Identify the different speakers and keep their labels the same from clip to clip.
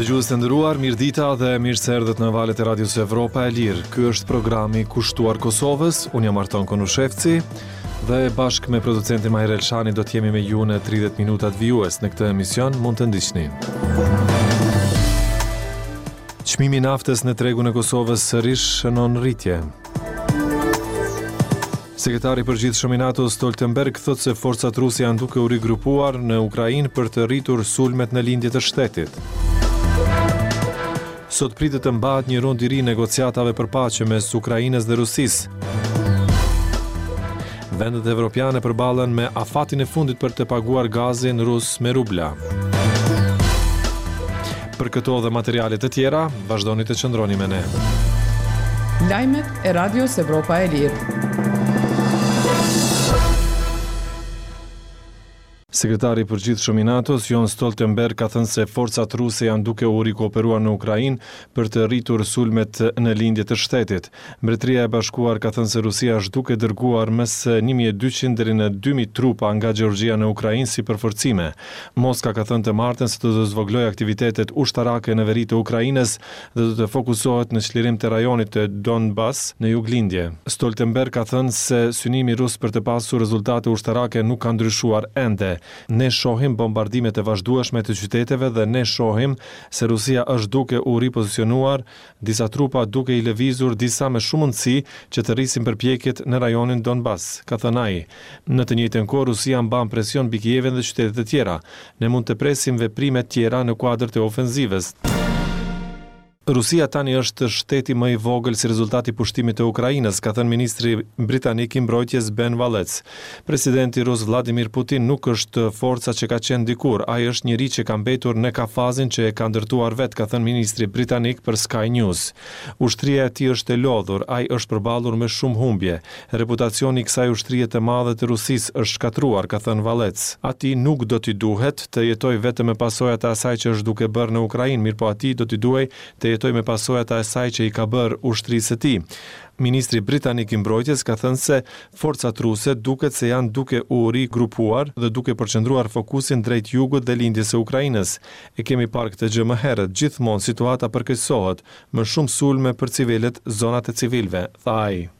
Speaker 1: Dëgjues të nderuar, mirëdita dhe mirë se erdhët në valët e Radios Evropa e Lirë. Ky është programi kushtuar Kosovës. Unë jam Arton Konushevci dhe bashkë me producentin Mahir Elshani do të jemi me ju në 30 minutat vijues. Në këtë emision mund të ndiqni. Çmimi i naftës në tregun e Kosovës sërish shënon rritje. Sekretari i Përgjithshëm i NATO Stoltenberg thotë se forcat ruse janë duke u rigrupuar në Ukrainë për të rritur sulmet në lindje të shtetit. Sot pritet të mbahet një rund i ri negociatave për paqe mes Ukrainës dhe Rusisë. Vendet evropiane përballen me afatin e fundit për të paguar gazin rus me rubla. Për këto dhe materiale të tjera, vazhdoni të qëndroni me ne.
Speaker 2: Lajmet e Radios Evropa e Lirë.
Speaker 1: Sekretari i Përgjithshëm i NATO-s, Jens Stoltenberg ka thënë se forcat ruse janë duke u rikuperuar në Ukrainë për të rritur sulmet në lindje të shtetit. Mbretëria e Bashkuar ka thënë se Rusia është duke dërguar mes 1200 deri në 2000 trupa nga Gjeorgjia në Ukrainë si përforcime. Moska ka thënë të martën se do të zvogëlojë aktivitetet ushtarake në veri të Ukrainës dhe do të fokusohet në çlirim të rajonit të Donbas në juglindje. Stoltenberg ka thënë se synimi rus për të pasur rezultate ushtarake nuk ka ndryshuar ende. Ne shohim bombardimet e vazhdueshme të qyteteve dhe ne shohim se Rusia është duke u ripozicionuar disa trupa duke i lëvizur disa me shumë mundësi që të rrisin përpjekjet në rajonin Donbas, ka thënë ai. Në të njëjtën kohë, Rusia mban presion mbi Kievin dhe qytete të tjera. Ne mund të presim veprime tjera në kuadër të ofenzivës. Rusia tani është shteti më i vogël si rezultat i pushtimit të Ukrainës, ka thënë ministri britanik i Mbrojtjes Ben Wallace. Presidenti rus Vladimir Putin nuk është forca që ka qenë dikur, ai është njeri që ka mbetur në kafazin që e ka ndërtuar vetë, ka thënë ministri britanik për Sky News. Ushtria e tij është e lodhur, ai është përballur me shumë humbje. Reputacioni i kësaj ushtrie të madhe të Rusisë është shkatërruar, ka thënë Wallace. Atij nuk do t'i duhet të jetojë vetëm me pasojat e asaj që është duke bërë në Ukrainë, mirëpo atij do t'i duhej të jetojë me pasojat e asaj që i ka bërë ushtrisë së tij. Ministri britanik i Mbrojtjes ka thënë se forcat ruse duket se janë duke u rigrupuar dhe duke përqendruar fokusin drejt jugut dhe lindjes së Ukrainës. E kemi parë këtë gjë më herët, gjithmonë situata përkeqësohet, Më shumë sulme për civilët, zonat e civilëve, tha ai.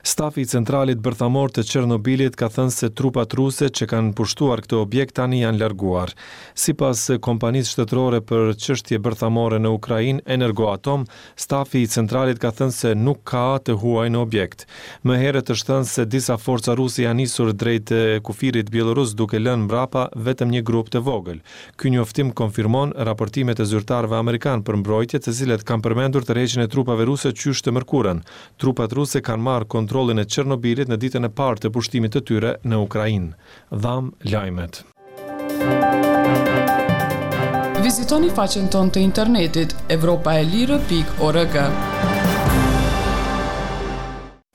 Speaker 1: Stafi i centralit bërthamor të Çernobilit ka thënë se trupat ruse që kanë pushtuar këtë objekt tani janë larguar. Sipas kompanisë shtetërore për çështje bërthamore në Ukrainë, Energoatom, stafi i centralit ka thënë se nuk ka të huaj në objekt. Më herët është thënë se disa forca ruse janë nisur drejt kufirit bjellorus duke lënë mbrapa vetëm një grup të vogël. Ky njoftim konfirmon raportimet e zyrtarëve amerikanë për mbrojtje, të cilët kanë përmendur tërheqjen e trupave ruse qysh të mërkurën. Trupat ruse kanë marrë kontrollin e Çernobilit në ditën e parë të pushtimit të tyre në Ukrainë. Dhamë lajmet.
Speaker 2: Vizitoni faqen tonë të internetit evropaelire.org.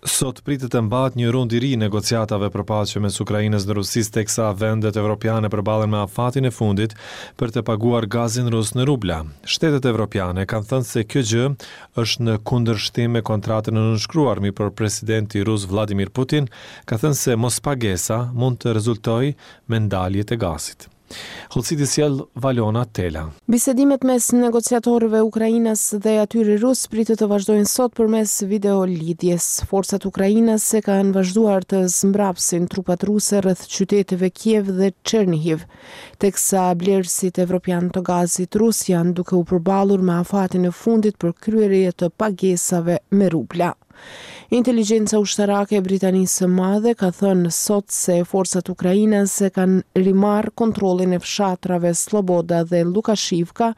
Speaker 1: Sot pritet të mbahet një rund i ri i negociatave për paqe mes Ukrainës dhe Rusisë teksa vendet evropiane përballen me afatin e fundit për të paguar gazin rus në rubla. Shtetet evropiane kanë thënë se kjo gjë është në kundërshtim me kontratën e nënshkruar, mirëpo presidenti rus Vladimir Putin ka thënë se mospagesa mund të rezultojë me ndalje të gazit. Hollësitë i sjell Valona Tela.
Speaker 3: Bisedimet mes negociatorëve ukrainas dhe atyre rusë pritet të vazhdojnë sot përmes videolidhjes. Forcat ukrainase kanë vazhduar të zmbrapsin trupat ruse rreth qyteteve Kiev dhe Çernihiv, teksa blerësit evropianë të gazit rus janë duke u përballur me afatin e fundit për kryerje të pagesave me rubla. Inteligjenca ushtarake e Britanisë së Madhe ka thënë sot se forcat ukrainase kanë rimarrë kontrollin e fshatrave Sloboda dhe Lukashivka,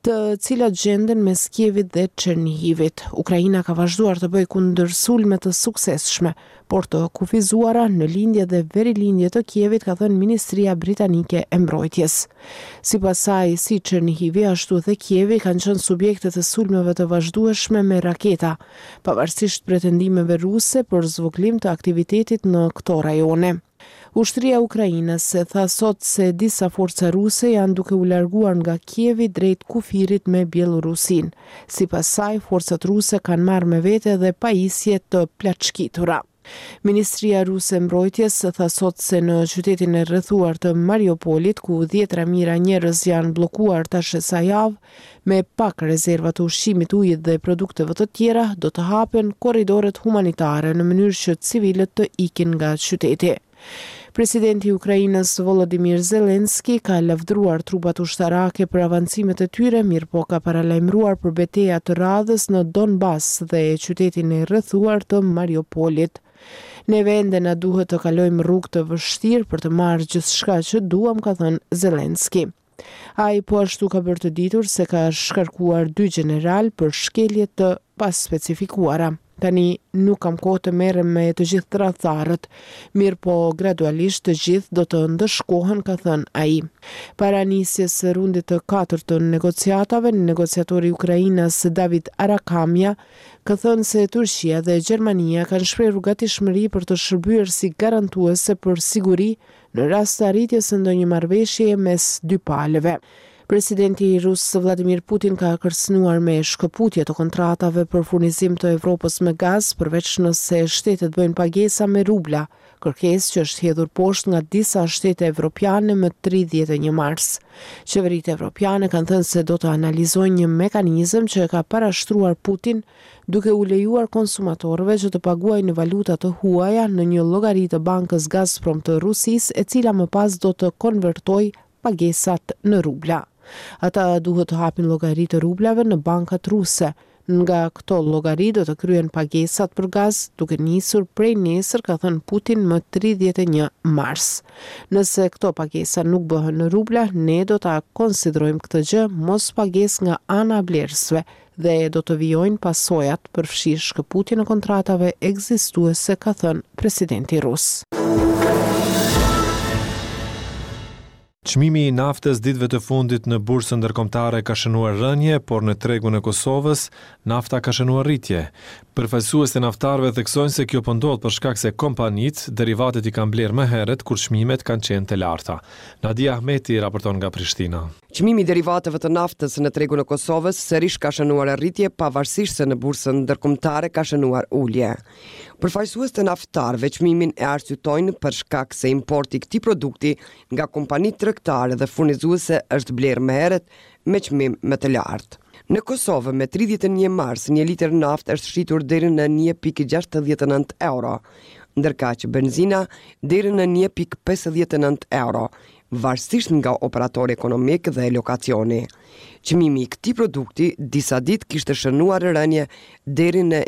Speaker 3: të cilat gjenden mes Kievit dhe Çernihivit. Ukraina ka vazhduar të bëjë kundërsulme të suksesshme, por të kufizuara në lindje dhe verilindje të Kievit, ka thënë Ministria Britanike e Mbrojtjes. Sipas saj, si Çernihivi ashtu dhe Kievi kanë qenë subjekte të sulmeve të vazhdueshme me raketa, pavarësisht pretendimeve ruse për zvogëlim të aktivitetit në këto rajone. Ushtria ukrainase tha sot se disa forca ruse janë duke u larguar nga Kievi drejt kufirit me Bjellorusinë. Sipas saj, forcat ruse kanë marrë me vete edhe pajisje të plaçkitura. Ministria ruse e Mbrojtjes tha sot se në qytetin e rrethuar të Mariupolit, ku dhjetëra mijëra njerëz janë bllokuar tash e sa javë, me pak rezerva të ushqimit, ujit dhe produkteve të tjera, do të hapen korridoret humanitare në mënyrë që civilët të ikin nga qyteti. Presidenti i Ukrainës Volodymyr Zelensky ka lavdëruar trupat ushtarake për avancimet e tyre, mirëpo ka paralajmëruar për beteja të radhës në Donbas dhe qytetin e rrethuar të Mariupolit. Neve ende na duhet të kalojmë rrugë të vështirë për të marrë gjithçka që duam, ka thënë Zelensky. Ai po ashtu ka bërë të ditur se ka shkarkuar dy gjeneralë për shkelje të paspecifikuara. Tani nuk kam kohë të merrem me të gjithë tradhtarët, mirëpo gradualisht të gjithë do të ndëshkohen, ka thënë ai. Para nisjes së rundit të katërt të negociatave, negociatori ukrainas David Arakhamia ka thënë se Turqia dhe Gjermania kanë shprehur gatishmëri për të shërbyer si garantuese për siguri në rast të arritjes së ndonjë marrëveshjeje mes dy palëve. Presidenti rus Vladimir Putin ka kërcënuar me shkëputje të kontratave për furnizim të Evropës me gaz, përveç nëse shtetet bëjnë pagesa me rubla, kërkesë që është hedhur poshtë nga disa shtete evropiane më 31 mars. Qeveritë evropiane kanë thënë se do të analizojnë një mekanizëm që e ka parashtruar Putin duke u lejuar konsumatorëve që të paguajnë në valuta të huaja në një llogari të bankës Gazprom të Rusisë, e cila më pas do të konvertojë pagesat në rubla. Ata duhet të hapin llogari të rublave në bankat ruse. Nga këto llogari do të kryhen pagesat për gaz, duke nisur prej nesër, ka thënë Putin më 31 mars. Nëse këto pagesa nuk bëhen në rubla, ne do ta konsiderojmë këtë gjë mospagesë nga ana e blerësve, dhe do të vijojnë pasojat, përfshirë shkëputjen e kontratave ekzistuese, ka thënë presidenti rus.
Speaker 1: Çmimi i naftës ditëve të fundit në bursën ndërkombëtare ka shënuar rënie, por në tregun e Kosovës, nafta ka shënuar rritje. Përfaqësuesit e naftarëve theksojnë se kjo po ndodh për shkak se kompanitë, derivatet i kanë blerë më herët kur çmimet kanë qenë të larta. Nadia Ahmeti raporton nga Prishtina.
Speaker 4: Çmimi i derivateve të naftës në tregun e Kosovës sërish ka shënuar rritje pavarësisht se në bursën ndërkombëtare ka shënuar ulje. Përfaqësues të naftarëve çmimin e arsyetojnë për shkak se importi i këtij produkti nga kompanitë tregtare dhe furnizuese është blerë më herët me çmim më të lartë. Në Kosovë, me 31 mars, një litër naftë është shitur deri në 1.69 euro, ndërkaq benzina deri në 1.59 euro, varësisht nga operatori ekonomik dhe lokacioni. Çmimi i këtij produkti disa ditë kishte shënuar rënie deri në.